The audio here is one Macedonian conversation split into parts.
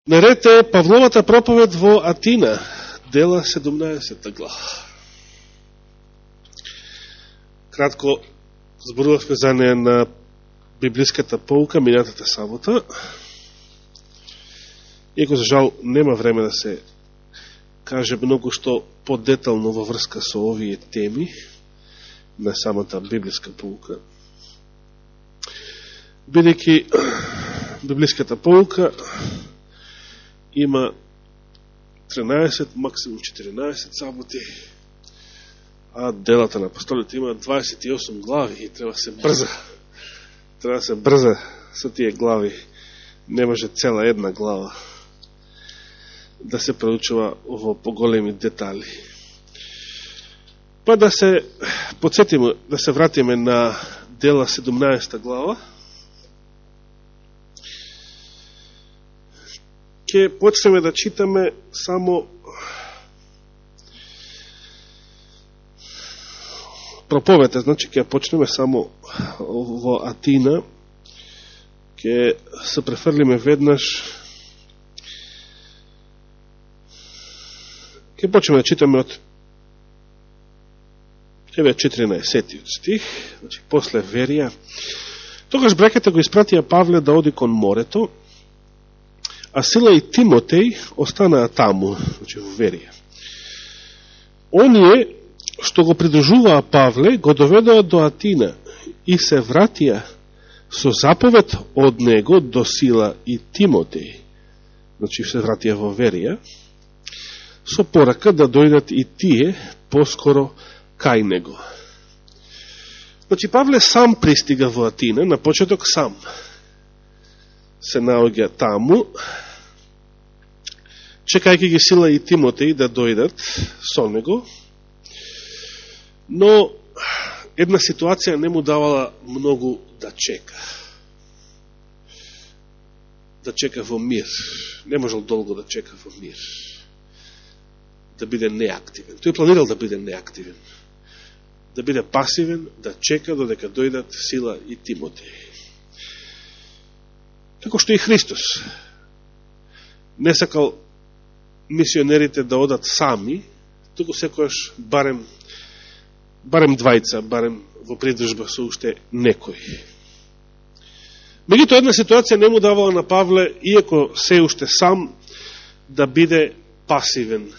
Наред е Павловата проповед во Атина, дела 17 глава. Кратко зборувавме за неја на библиската поука минатата сабота. Иако за жал нема време да се каже многу што подетално во врска со овие теми на самата библиска поука. Бидејќи библиската поука има 13, максимум 14 саботи, а делата на апостолите има 28 глави и треба се брза. Треба да се брза со тие глави. Не може цела една глава да се проучува во поголеми детали. Па да се подсетиме, да се вратиме на дела 17 глава. Ке почнеме да читаме само проповета, значи ке почнеме само во Атина, ке се префрлиме веднаш, ке почнеме да читаме од 14 стих, значи после Верија. Тогаш браката го испратија Павле да оди кон морето, а Сила и Тимотеј останаа таму, значи во Верија. Оние што го придружуваа Павле го доведоа до Атина и се вратија со заповед од него до Сила и Тимотеј, значи се вратија во Верија, со порака да дојдат и тие поскоро кај него. Значи Павле сам пристига во Атина, на почеток сам се наоѓа таму, чекајќи ги Сила и Тимотеј да дојдат со него, но една ситуација не му давала многу да чека. Да чека во мир. Не можел долго да чека во мир. Да биде неактивен. Тој планирал да биде неактивен. Да биде пасивен, да чека додека дојдат Сила и Тимотеј. Како што и Христос не сакал мисионерите да одат сами, туку секојаш барем двајца, барем во придружба со уште некој. Меѓутоа една ситуација не му давала на Павле, иако се уште сам, да биде пасивен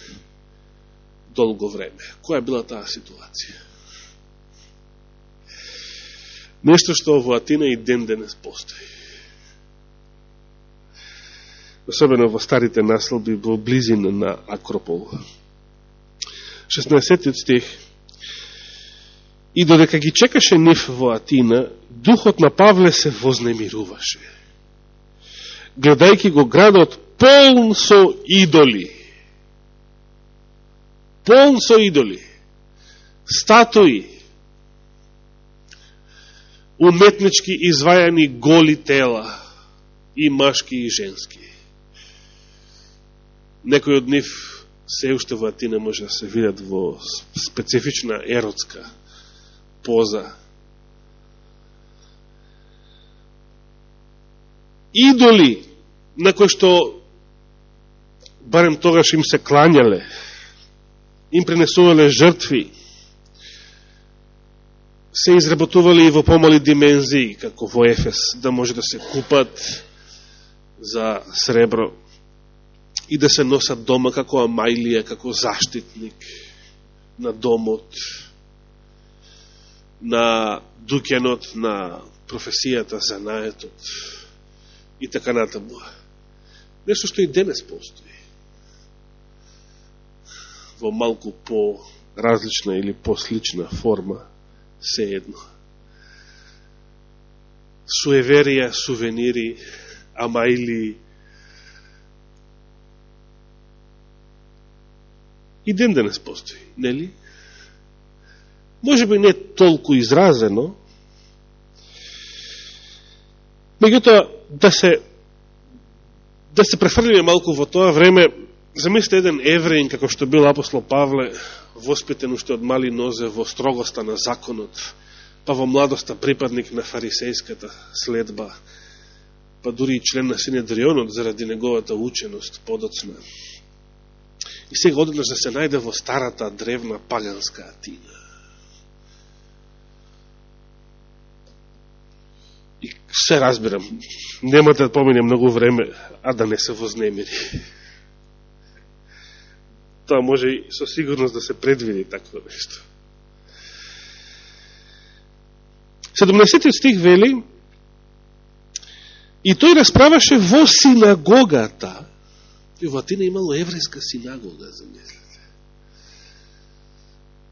долго време. Која била таа ситуација? Нешто што во Атина и ден денес постои. Особено во старите населби во близина на Акропол. 16 стих. И додека ги чекаше нив во Атина, духот на Павле се вознемируваше, гледајќи го градот полн со идоли. Полн со идоли. Статуи. Уметнички извајани голи тела. И машки и женски. Некои од нив се уште во Атина може да се видат во специфична еротска поза. Идоли на кои што барем тогаш им се клањале, им пренесувале жртви, се изработували и во помали димензии, како во Ефес, да може да се купат за сребро и да се носат дома како амајлија, како заштитник на домот, на дуќанот, на професијата, занаетот и така натаму. Нешто што и денес постои. Во малку по-различна или по-слична форма, се едно. Суеверија, сувенири, амајли. И ден денес постои, нели? Може би не толку изразено, меѓутоа да се префрлиме малку во тоа време. Замислите еден евреин, како што бил апостол Павле, воспитен уште од мали нозе во строгоста на законот, па во младоста припадник на фарисејската следба, па дури и член на Синедрионот заради неговата ученост подоцна. И сега одеднаш да се најде во старата древна паганска Атина. И се разбирам, нема да помине многу време, а да не се вознемири. Тоа може и со сигурност да се предвиди такво нешто. 17 стих вели: и тој расправаше во синагогата. И во Атина имало еврејска синагога, замислете.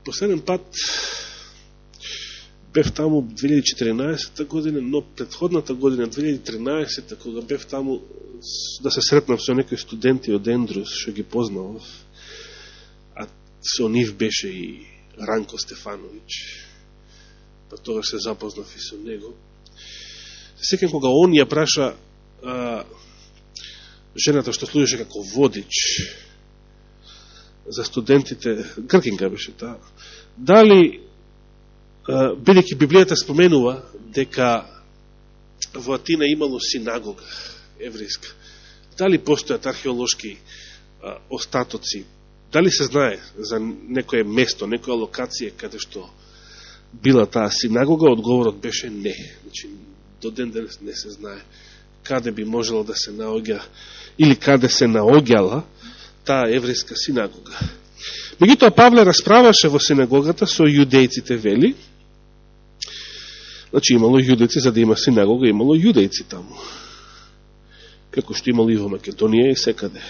Последен пат бев таму 2014 година, но предходната година, 2013, кога бев таму да се сретнав со некои студенти од Ендрус, што ги познавав, а со нив беше и Ранко Стефанович, па тогаш се запознав и со него. Секој кога он ја праша жената што служеше како водич за студентите, гркинка беше таа, дали, бидејќи Библијата споменува дека во Атина имало синагога еврејска, дали постојат археолошки остатоци, дали се знае за некое место, некоја локација каде што била таа синагога? Одговорот беше не. Значи, до ден денес не се знае каде би можело да се наоѓа или каде се наоѓала таа еврејска синагога. Меѓутоа Павле расправаше во синагогата со јудејците, вели. Значи имало јудејци, за да има синагога, имало јудејци таму. Како што имало и во Македонија и секаде.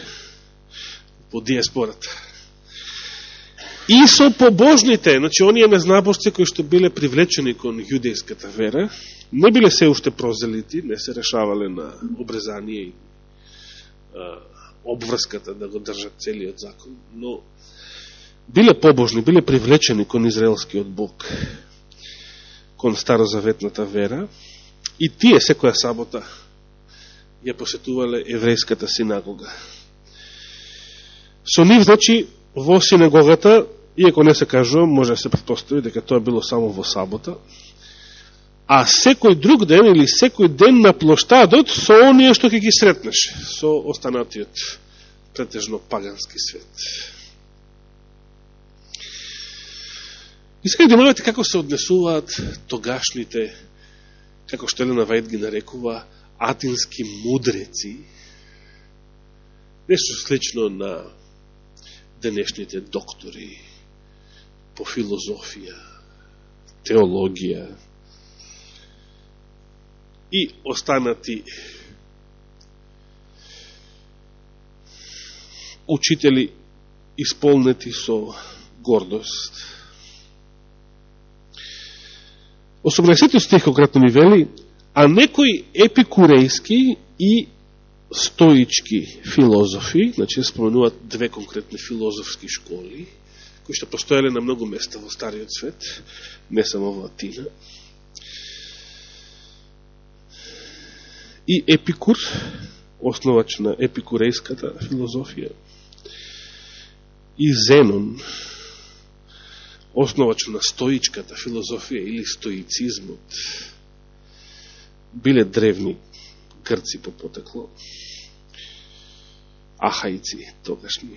По диаспората. И со побожните, значи оние незнабожци кои што биле привлечени кон јудејската вера, не биле се уште прозелити, не се решавале на обрезание и обврската да го држат целиот закон, но биле побожни, биле привлечени кон израелскиот Бог, кон старозаветната вера, и тие секоја сабота ја посетувале еврејската синагога. Со нив, значи, во синагогата, иако не се кажува, може да се претпостави дека тоа било само во сабота, а секој друг ден или секој ден на плоштадот со оние што ќе ги сретнеш, со останатиот претежно пагански свет. И сега внимавате како се однесуваат тогашните, како што Елена Вајд ги нарекува, атински мудреци, нешто слично на денешните доктори по филозофија, теологија и останати учители исполнети со гордост. 18 стих конкретно ми вели: а некои епикурејски и стоички филозофи, значи споменуваат две конкретни филозофски школи, кои што постоеле на многу места во Стариот свет, не само во Атина. И Епикур, основач на епикурејската филозофија, и Зенон, основач на стоичката филозофија или стоицизмот, биле древни грци по потекло, ахајци тогашни.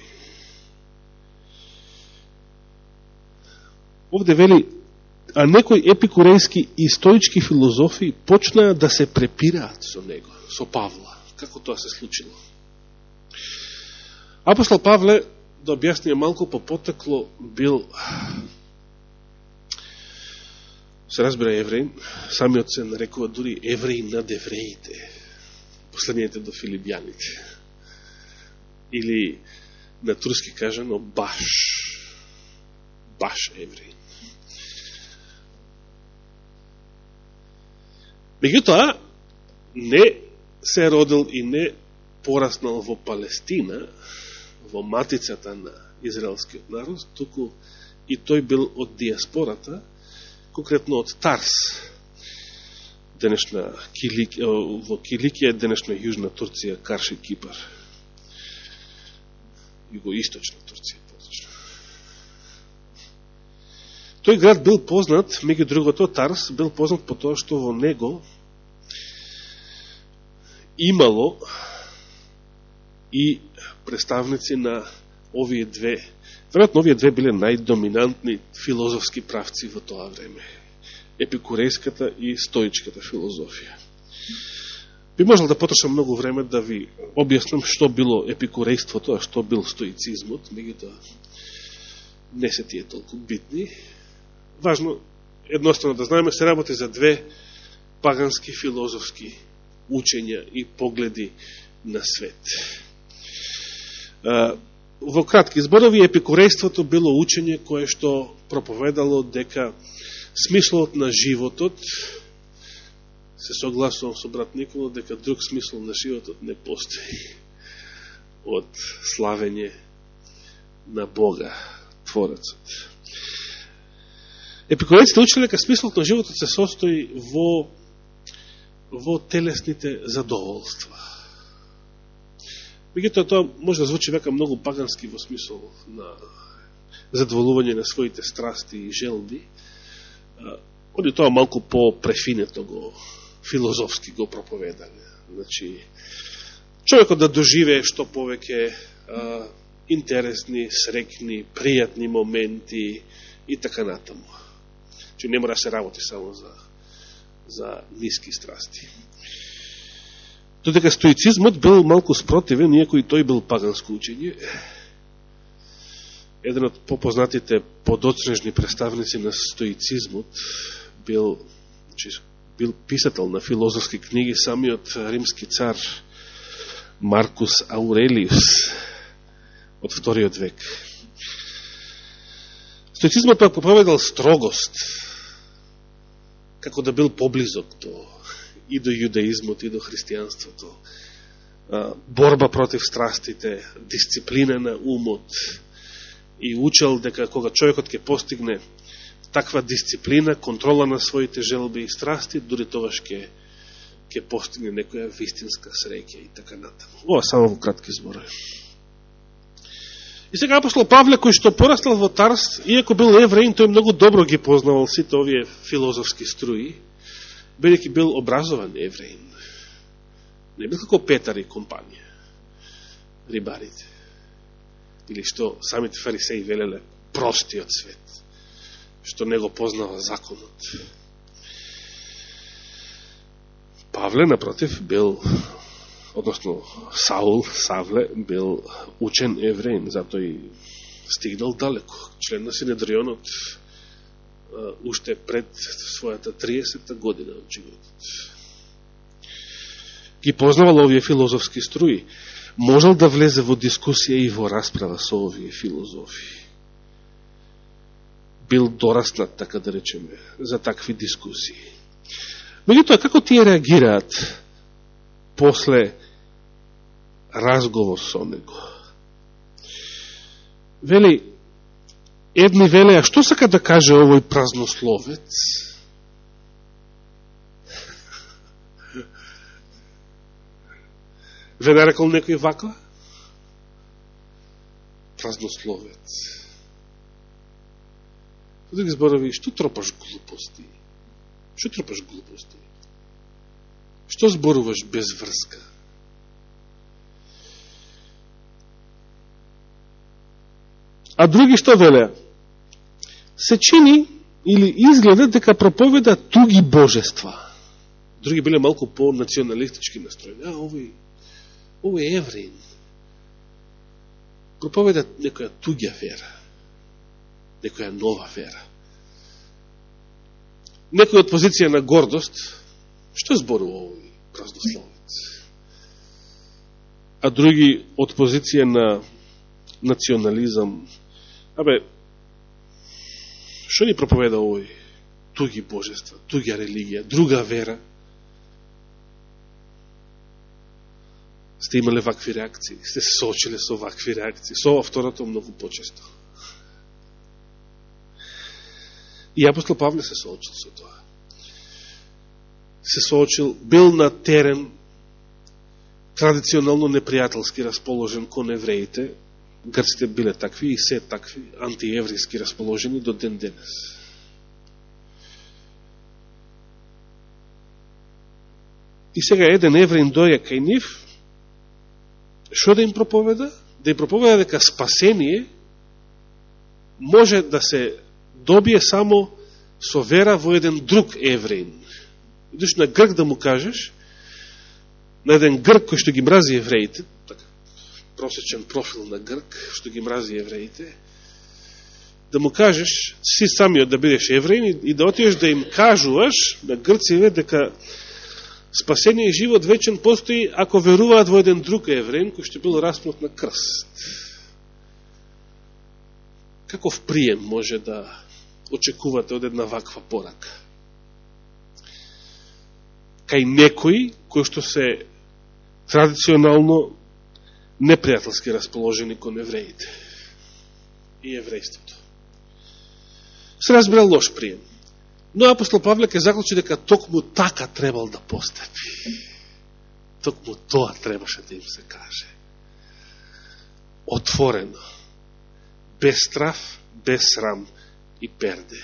Овде вели: а некои епикурејски и стоички филозофи почнаа да се препираат со него, со Павла. Како тоа се случило? Апостол Павле, да објасниме малку по потекло, бил, се разбира, евреин, самиот се нарекува дури евреин над евреите, последнијите до филипјаните. Или на турски кажано баш евреин. Меѓутоа, не се родил и не пораснал во Палестина, во матицата на израелскиот народ, туку и тој бил од диаспората, конкретно од Тарс, денешна во Киликија, денешна Јужна Турција, Карши, Кипар, југоисточна Турција. Тој град бил познат, меѓу другото, Тарс бил познат по тоа што во него имало и представници на овие две, веројатно овие две биле најдоминантни филозофски правци во тоа време. Епикурејската и стоичката филозофија. Би можел да потрошам многу време да ви објаснам што било епикурејството, а што бил стоицизмот, меѓутоа не се тие толку битни. Важно, едноставно да знаеме, се работи за две пагански филозофски учења и погледи на свет. Во кратки зборови, епикурејството било учење кое што проповедало дека смислот на животот, се согласувам со брат Никола, дека друг смисол на животот не постои од славење на Бога, Творецот. Епикурејците учеле дека смислот на животот се состои во телесните задоволства. Меѓутоа, тоа може да звучи века многу пагански во смисол на задоволување на своите страсти и желби. Они тоа малку по-префинето го, филозофски го проповедале. Значи, човекот да доживее што повеќе интересни, срекни, пријатни моменти и така натаму. Че не мора да се работи само за ниски страсти. Додека стоицизмот бил малку спротивен, иако и тој бил паганско учење. Еден од попознатите подоцнежни представници на стоицизмот бил писател на филозофски книги, самиот римски цар Маркус Аурелиус од вториот век. Стоицизмот пак проповедал строгост, како да бил поблизок и до јудаизмот, и до христијанството. Борба против страстите, дисциплина на умот, и учел дека кога човекот ќе постигне таква дисциплина, контрола на своите желби и страсти, дури тогаш ќе постигне некоја вистинска среќа и така натаму. Ова само во кратки зборови. И сега апостол Павле, кој што порастал во Тарс, иако бил евреин, тој многу добро ги познавал сите овие филозофски струи, бидејќи бил образован евреин. Не бил како Петар и компанија, рибарите. Или што самите фарисеи велеле, простиот свет, што не го познава законот. Павле, напротив, бил, односно Савле, бил учен евреин, затоа и стигнал далеко. Член на Синедрионот, уште пред својата 30-та година од животот. Ги познавал овие филозофски струи. Можел да влезе во дискусија и во расправа со овие филозофи. Бил дораснат, така да речеме, за такви дискусии. Меѓутоа, како тие реагираат после разговор со него? Вели, едни велеа, што сака да каже овој празнословец? Ве нарекол некој ваква? Празнословец. Со други зборови, што тропаш глупости? Што тропаш глупости? Што зборуваш без врска? А други што велеа? Се чини или изгледа дека проповеда туги божества. Други биле малку по-националистички настроени. Овој евреин проповеда некоја туѓа вера, некоја нова вера. Некој од позиција на гордост, што зборува овој празнословец? А други од позиција на национализам, што ни проповеда овој туги божества, туѓа религија, друга вера? Сте имале вакви реакции, сте се соочиле со вакви реакции, со ова второто многу почесто. И апостол Павле се соочил со тоа. Се соочил, бил на терен традиционално непријателски расположен кон евреите, грците биле такви и се такви, антиеврејски расположени до ден денес. И сега еден евреин дојде кај нив, што да им проповеда? Да им проповеда дека спасение може да се добие само со вера во еден друг евреин. Идеш на Грк да му кажеш, на еден Грк кој што ги мрази евреите, така, просечен профил на Грк, што ги мрази евреите, да му кажеш, си самиот да бидеш евреин и да отидеш да им кажуваш на грциве дека спасение и живот вечен постои ако веруваат во еден друг евреин кој што бил распнат на крст. Каков прием може да очекувате од една ваква порака? Кај некои кои што се традиционално непријателски расположени кон евреите и еврејството. Се разбира лош прием. Но апостол Павле ќе заклучи дека токму така требал да постапи. Токму тоа требаше да им се каже. Отворено. Без страв, без срам и перде.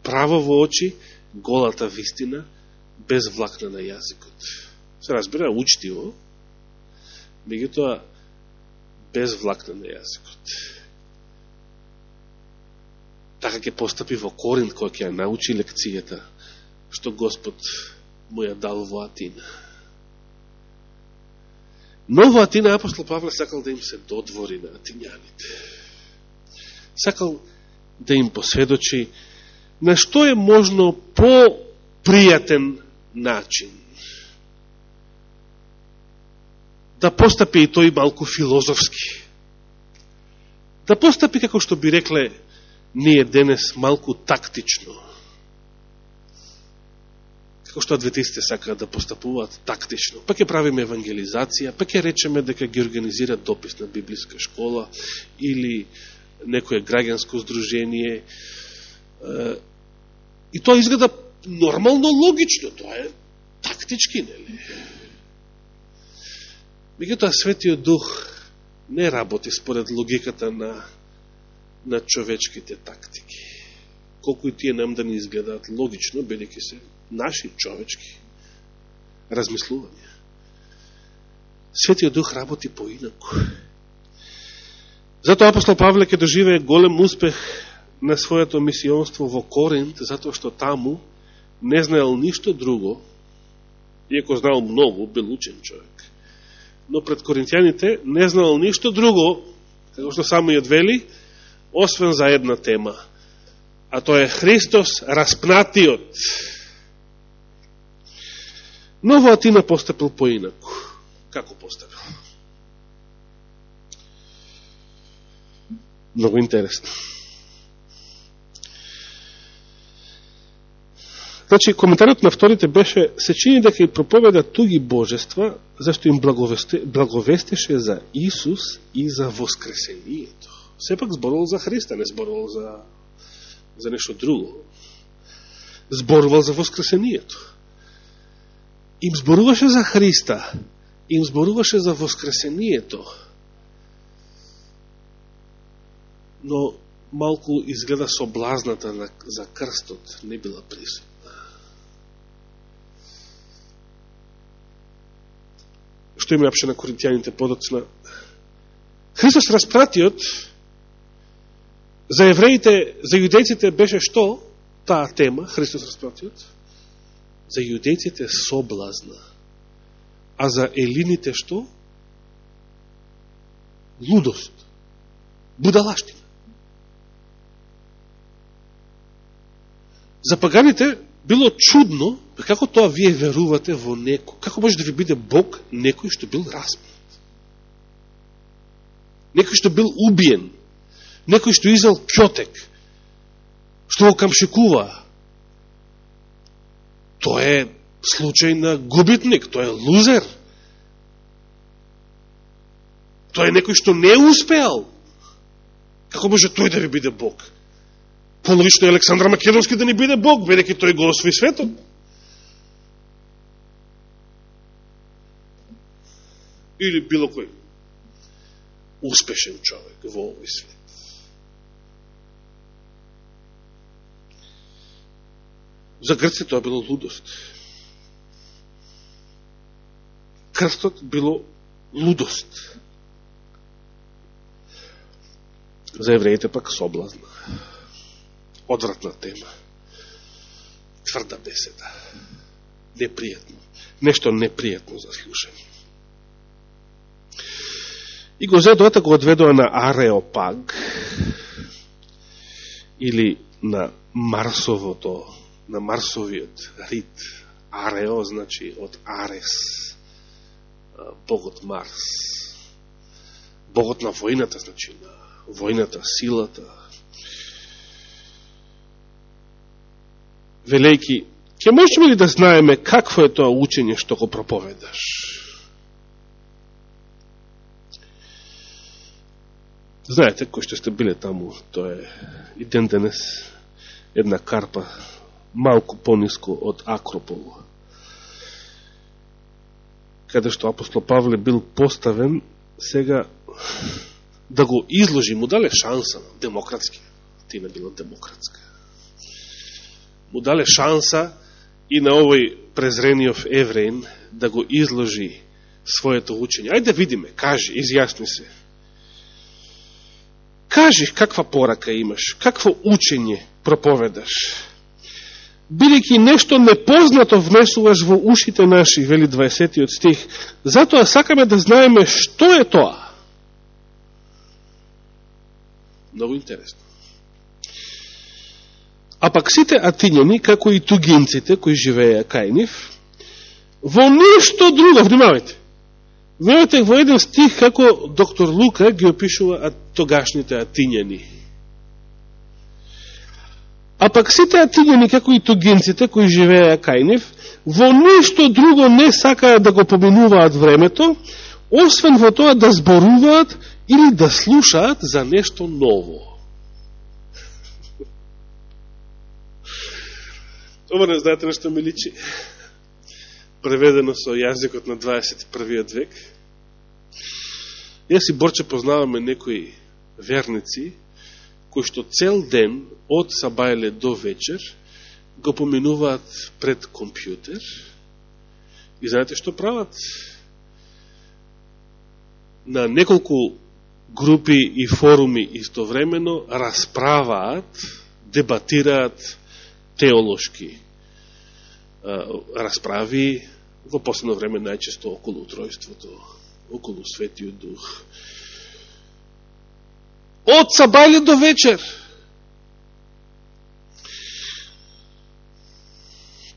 Право во очи, голата вистина, без влакна на јазикот. Се разбира, учтиво, меѓутоа без влакна на јазикот. Така ќе постапи во Коринт, кој ќе ја научи лекцијата што Господ му ја дал во Атина. Но во Атина апостол Павле сакал да им се додвори на атињаните. Сакал да им посведочи на што е можно по-пријатен начин. Да постапи и тој малку филозофски. Да постапи, како што би рекле ние денес, малку тактично. Како што адвентистите сакаат да постапуваат тактично. Па ќе правиме евангелизација, па ќе речеме дека ги организира дописна библиска школа или некое граѓанско здружение. И тоа изгледа нормално логично, тоа е тактички, нели? Меѓутоа Светиот Дух не работи според логиката на човечките тактики. Колку и тие нам да ни изгледаат логично, бидејќи се наши човечки размислувања. Светиот Дух работи поинаку. Затоа апостол Павле ќе доживее голем успех на своето мисионство во Коринт, затоа што таму не знаел ништо друго, иако знал многу, бил учен човек. Но пред коринтјаните не знаел ништо друго, како што само и одвели, освен за една тема, а тоа е Христос распнатиот. Но во Атина постапил поинаку. Како постапил? Много интересно. Значи, коментарот на вторите беше, се чини дека и проповеда туги божества, зашто им благовестеше за Исус и за воскресението. Сепак зборувал за Христа, не зборувал за нешто друго. Зборувал за воскресението. Им зборуваше за Христа, им зборуваше за воскресението. Но малку изгледа соблазната за крстот не била присутна. Што им напише на коринтјаните подоцна? Христос распратиот за евреите, за јудејците беше што? Таа тема, Христос распратиот. За јудејците соблазна. А за елините што? Лудост. Будалаштина. За паганите било чудно, како тоа вие верувате во некој? Како може да ви биде Бог некој што бил распнат? Некој што бил убиен? Некој што изел кјотек? Што го камшикува? Тоа е случај на губитник, тоа е лузер. Тоа е некој што не успеал. Како може тој да ви биде Бог? Пологично е Александр Македонски да не биде Бог, бидејќи тој го освои светот. Или било кој успешен човек во овој свет. За Грците тоа било лудост. крстот било лудост. За евреите пак соблазна. Одвратна тема. Тврда беседа. Непријатно. Нешто непријатно за слушање. И го зедоата го одведоа на Ареопаг, или на Марсовото, на Марсовиот рит. Арео значи од Арес, богот Марс. Богот на војната, значи на војната, силата. Велејки, ќе можеме ли да знаеме какво е тоа учење што го проповедаш? Знаете, кои што сте биле таму, тоа е и ден денес една карпа малку пониско од Акропол, каде што апостол Павле бил поставен сега да го изложи, му дале шанса демократски, тина било демократска. Му дале шанса и на овој презрениот евреин да го изложи своето учење. Ајде видиме, кажи, изјасни се. Кажи каква порака имаш, какво учење проповедаш. Бидејќи нешто непознато внесуваш во ушите наши, вели 20 стих, затоа сакаме да знаеме што е тоа. Много интересно. А пак сите атињани, како и тугинците, кои живееја кај нив, во ништо друго, внимавајте, внимавајте во еден стих како доктор Лука ги опишува тогашните атињани. А пак сите атињани, како и тугинците, кои живееја кај нив, во ништо друго не сакаат да го поминуваат времето, освен во тоа да зборуваат или да слушаат за нешто ново. Ова не знаете на што ми личи. Преведено со јазикот на 21. век. Јас и Борче познаваме некои верници, кои што цел ден, од сабајле до вечер, го поминуваат пред компјутер. И знаете што прават? На неколку групи и форуми истовремено расправаат, дебатираат теолошки расправи, во последно време најчесто околу утројството, околу Светиот Дух. Од сабајле до вечер.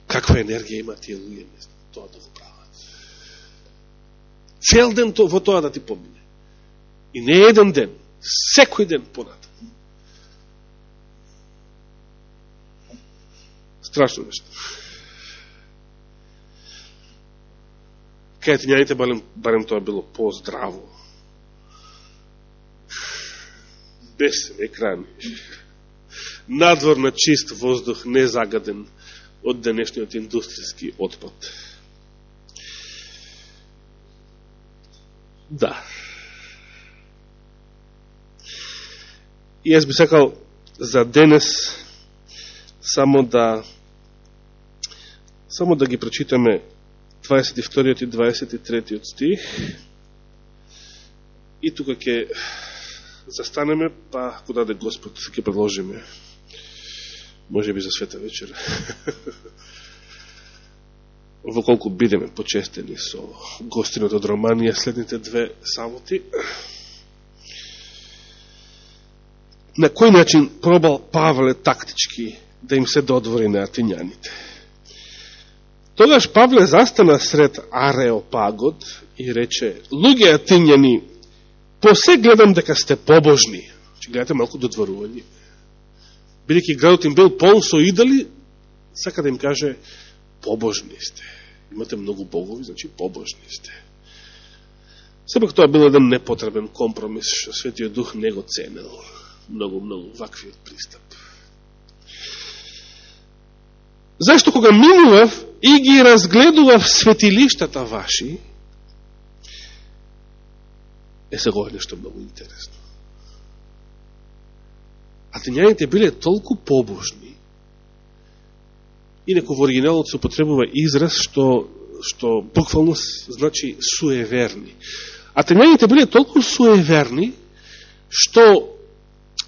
Каква енергија има тие луѓе тоа да го прават? Цел ден во тоа да ти помине. И не еден ден, секој ден понатаму. Страшно нешто. Кај атињаните барем тоа било по-здраво. Без екрани. Надвор на чист воздух, незагаден од денешниот индустријски отпад. Да. И јас би сакал за денес само да ги прочитаме 22 и 23 стих и тука ќе застанеме, па ако даде Господ ќе продолжиме, може би за света вечер. Во колку бидеме почестени со гостинот од Романија следните 2 саботи. На кој начин пробал Павле тактички да им се додвори на атињаните? Тогаш Павле застана сред Ареопагот и рече: луѓе атињани, посе гледам дека сте побожни. Че гледате малку додворување. Бидејќи градот им бил полн со идоли, сака да им каже: побожни сте. Имате многу богови, значи побожни сте. Сепак тоа бил еден непотребен компромис, што Светиот Дух не го ценел. Многу ваквиот пристап. Зашто кога минував и ги разгледував светилиштата ваши, сега е нешто многу интересно. Атињаните биле толку побожни, инаку во оригиналот се употребува израз што што буквално значи суеверни. Атењаните биле толку суеверни, што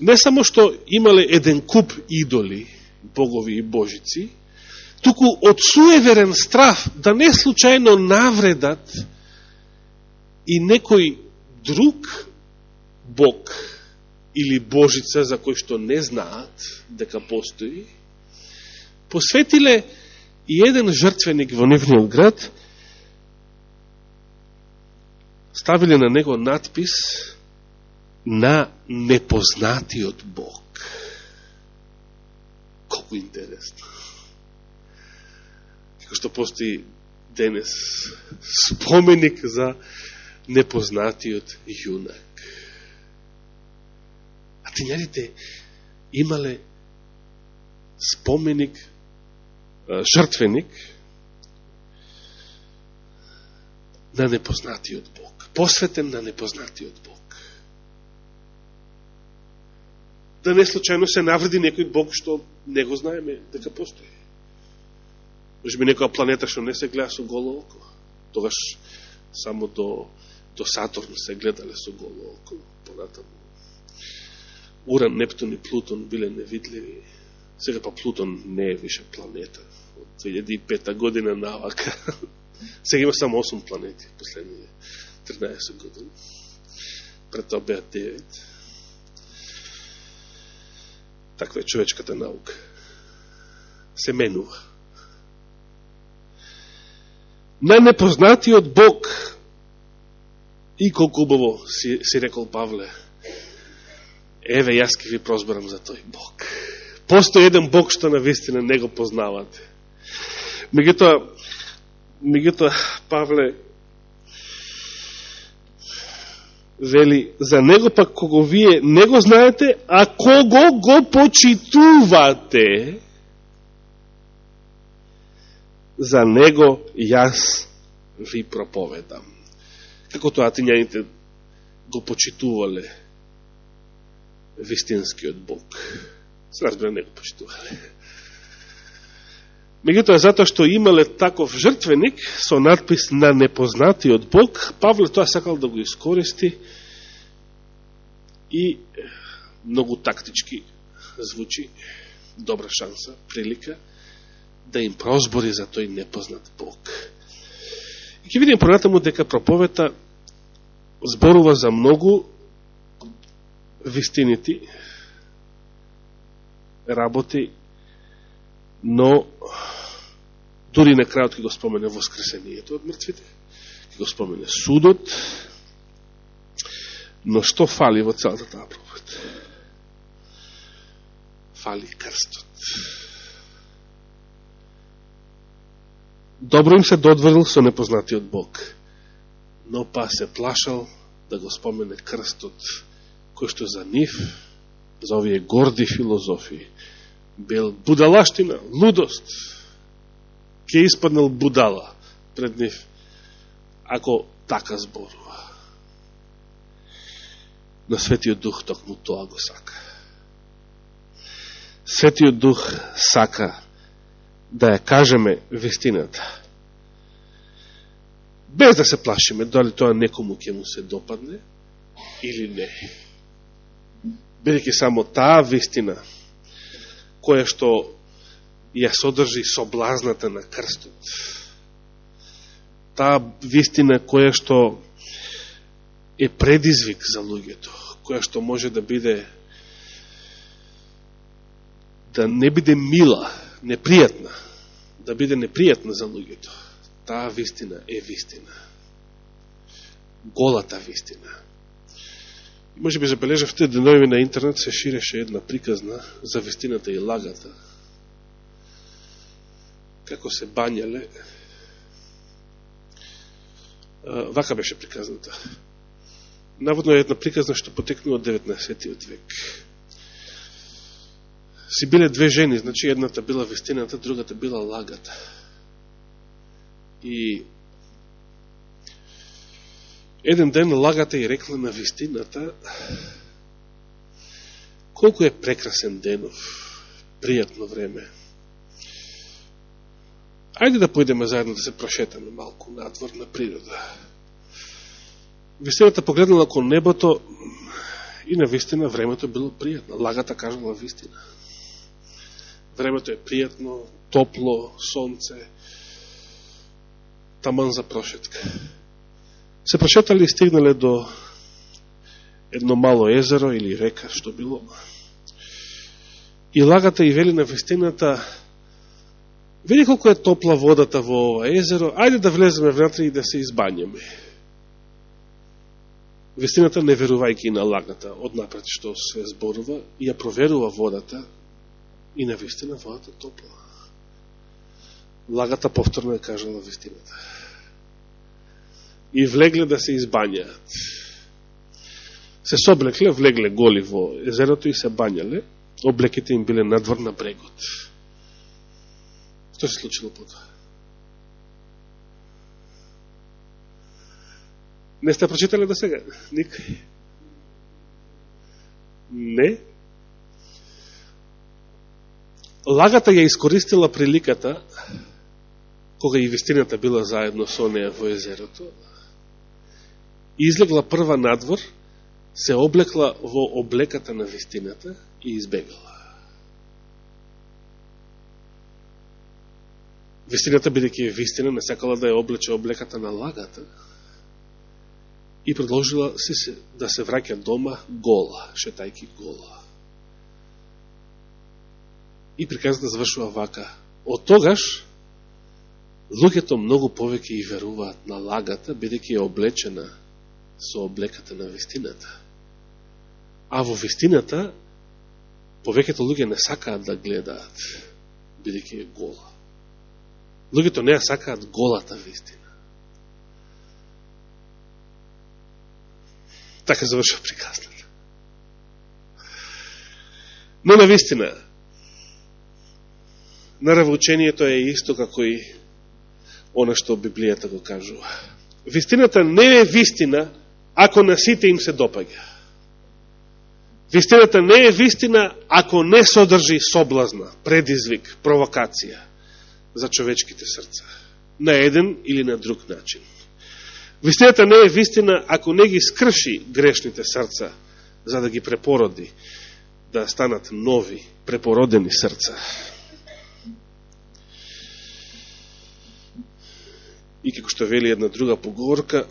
не само што имале еден куп идоли, богови и божици, туку од суеверен страв да не случајно навредат и некој друг бог или божица за кој што не знаат дека постои, посветиле и еден жртвеник во нивниот град, ставиле на него надпис на непознатиот Бог. Колку интересно. Како што постои денес споменик за непознатиот јунак. Атењаните имале споменик, жртвеник на непознатиот Бог. Посветен на непознатиот Бог. Да не случајно се навреди некој Бог што не го знаеме дека постои. Може би некоја планета што не се гледа со голо око. Тогаш само до Сатурн се гледале со голо око. Понатаму Уран, Нептун и Плутон биле невидливи. Сега па Плутон не е више планета. Од 2005 година навака. Сега има само 8 планети, последние 13 години. Пред тоа беа 9. Таква е човечката наука. Се менува. На непознатиот Бог, и колку убаво си рекол Павле, еве, јас ке ви прозборам за тој Бог. Постои еден Бог што навистина не го познавате. Меѓутоа, Павле вели, за него пак кого вие не го знаете, а кого го почитувате, за него јас ви проповедам. Како тоа атењаните го почитувале вистинскиот Бог. Се разбира, не го почитувале. Меѓутоа, затоа што имале таков жртвеник со надпис на непознатиот Бог, Павле тоа сакал да го искористи и многу тактички звучи, добра шанса, прилика, да им прозбори за тој непознат Бог. И ќе видим понатаму дека проповета зборува за многу вистинити, работи, но дури на крајот ќе го спомене воскресението од мртвите, ќе го спомене судот, но што фали во целата таа проповед? Фали крстот. Добро им се додворил со непознатиот Бог, но па се плашал да го спомене крстот, кој што за нив, за овие горди филозофии, бил будалаштина, лудост. Ке испаднал будала пред нив, ако така зборува. Но Светиот Дух токму тоа го сака. Светиот Дух сака да ја кажеме вистината. Без да се плашиме дали тоа некому ќе му се допадне или не. Бидејќи само таа вистина која што ја содржи соблазната на крстот, таа вистина која што е предизвик за луѓето, која што може да биде, да не биде мила, непријатна, да биде непријатна за луѓето. Таа вистина е вистина. Голата вистина. И може би забележавте, денови на интернет се ширеше една приказна за вистината и лагата. Како се бањале. Вака беше приказната. Наводно е една приказна што потекнува од 19. век. Си биле две жени, значи едната била вистината, другата била лагата. И еден ден лагата и рекла на вистината: колку е прекрасен денов, пријатно време. Ајде да појдеме заедно да се прошетаме малку надвор на природа. Вистината погледнала кон небото и на вистина времето било пријатно. Лагата кажала вистина. Времето е пријатно, топло, сонце, таман за прошетка. Се прошетали и стигнале до едно мало езеро или река, што било. И лагата и вели на вистината: види колко е топла водата во ова езеро, ајде да влеземе внатре и да се избањаме. Вистината, не верувајќи на лагата, однапред што се зборува, и ја проверува водата, и на вистина водата топла. Лагата повторно е кажала вистината. И влегле да се избањаат. Се соблекле, влегле голи во езерото и се бањале, облеките им биле надвор на брегот. Што се случило потоа? Не сте прочитали до сега? Никој? Не? Лагата ја искористила приликата, кога и вистината била заедно со неја во езерото, излегла прва надвор, се облекла во облеката на вистината и избегала. Вистината, бидејќи е вистина, не сакала да ја облече облеката на лагата и продолжила да се враќа дома гола, шетајки гола. И приказата завршува вака: од тогаш луѓето многу повеќе и веруваат на лагата, бидејќи е облечена со облеката на вистината. А во вистината повеќето луѓе не сакаат да гледаат, бидејќи е гола. Луѓето не ја сакаат голата вистина. Така завршува приказната. Но на вистина, наравучението е исто како и она што Библијата го кажува. Вистината не е вистина ако на сите им се допаѓа. Вистината не е вистина ако не содржи соблазна, предизвик, провокација за човечките срца, на еден или на друг начин. Вистината не е вистина ако не ги скрши грешните срца, за да ги препороди, да станат нови, препородени срца. И како што вели една друга поговорка,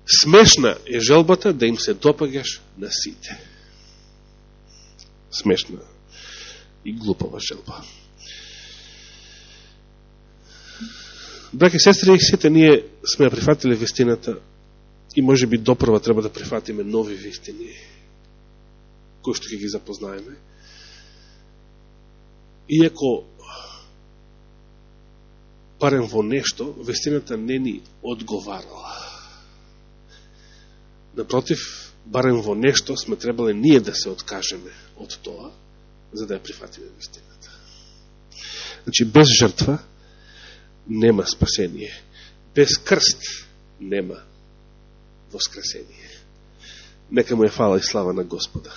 смешна е желбата да им се допаѓаш на сите. Смешна и глупава желба. Браќи и сестри, сите ние сме ја прифатиле вистината и може би допрва треба да прифатиме нови вистини, кои што ќе ги запознаеме. Иако барем во нешто, вистината не ни одговарала. Напротив, барем во нешто сме требале ние да се откажеме од тоа, за да ја прифатиме вистината. Значи, без жртва нема спасение. Без крст нема воскресение. Нека му е фала и слава на Господа.